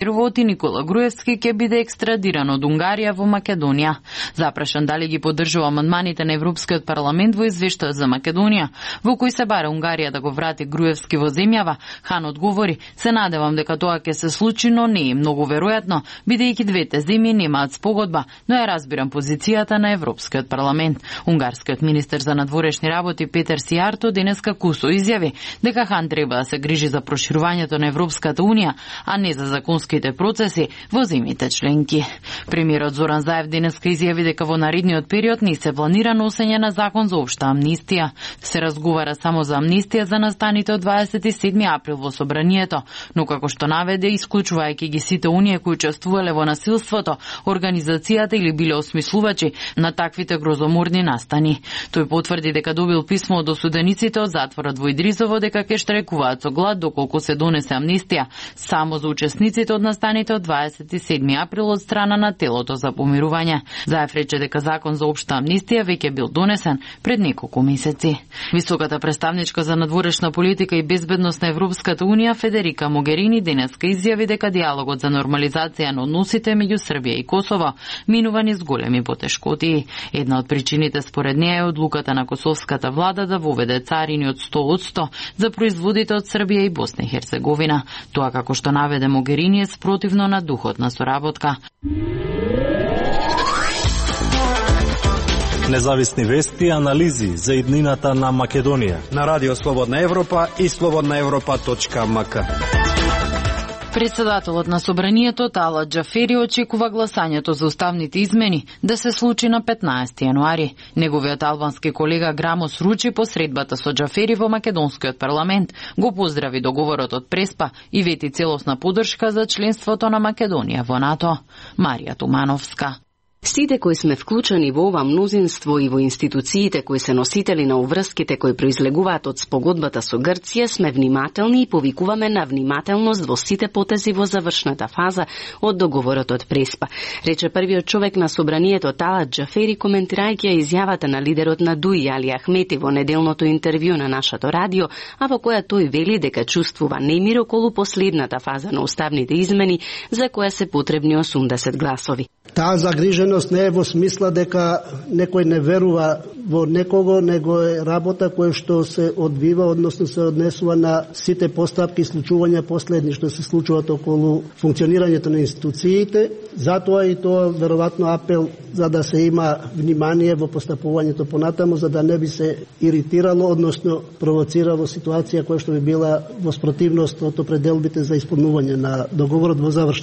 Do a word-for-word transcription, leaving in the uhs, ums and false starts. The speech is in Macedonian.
и Никола Груевски ќе биде екстрадиран од Унгарија во Македонија. Запрашан дали ги поддржува амандманите на Европскиот парламент во извештајот за Македонија, во кој се бара Унгарија да го врати Груевски во земјава, Хан одговори: "Се надевам дека тоа ќе се случи, но не е многу веројатно, бидејќи двете земји немаат спогодба, но ја разбирам позицијата на Европскиот парламент." Унгарскиот министер за надворешни работи Петер Сијарто денеска кусо изјави дека Хан треба да се грижи за проширувањето на Европската унија, а не за законски процеси во земјите членки. Премиерот Зоран Заев денеска изјави дека во наредниот период не се планира носење на закон за општа амнистија. Се разговара само за амнистија за настаните од дваесет и седми април во собранието, но како што наведе, исклучувајќи ги сите оние кои учествувале во насилството, организацијата или биле осмислувачи на таквите грозоморни настани. Тој потврди дека добил писмо од осудениците од затворот во Идризово дека ќе штрajкуваат со глад доколку се донесе амнистија само за учесниците од настаните од дваесет и седми април од страна на телото за помирување. Заев рече дека закон за општа амнистија веќе бил донесен пред неколку месеци. Високата представничка за надворешна политика и безбедност на Европската унија Федерика Могерини денеска изјави дека диалогот за нормализација на односите меѓу Србија и Косово минува низ големи потешкоти. Една од причините според неја е одлуката на косовската влада да воведе царини од сто одсто за производите од Србија и Босна и Херцеговина. Тоа, како што наведе Могерини, е спротивно на духот на соработка. Независни вести и анализи за иднината на Македонија на Радио Слободна Европа и слободна европа точка ем ка. Председателот на собранието Талат Џафери очекува гласањето за уставните измени да се случи на петнаесети јануари. Неговиот албански колега Грамос Ручи по средбата со Џафери во македонскиот парламент го поздрави договорот од Преспа и вети целосна поддршка за членството на Македонија во НАТО. Марија Тумановска. Сите кои сме вклучени во ова мнозинство и во институциите кои се носители на уврските кои произлегуваат од спогодбата со Грција сме внимателни и повикуваме на внимателност во сите потези во завршната фаза од договорот од Преспа, рече првиот човек на собранието Талат Џафери коментирајќи ја изјавата на лидерот на Дуи Али Ахмети во неделното интервју на нашето радио, а во која тој вели дека чувствува немир околу последната фаза на уставните измени за која се потребни осумдесет гласови. Таа загриженост не е во смисла дека некој не верува во некого, него е работа која што се одвива, односно се однесува на сите постапки и случувања последни што се случуваат околу функционирањето на институциите. Затоа и тоа веројатно апел за да се има внимание во постапувањето понатаму, за да не би се иритирало, односно провоцирало ситуација која што би била во спротивност од определбите за исполнување на договорот во завршен.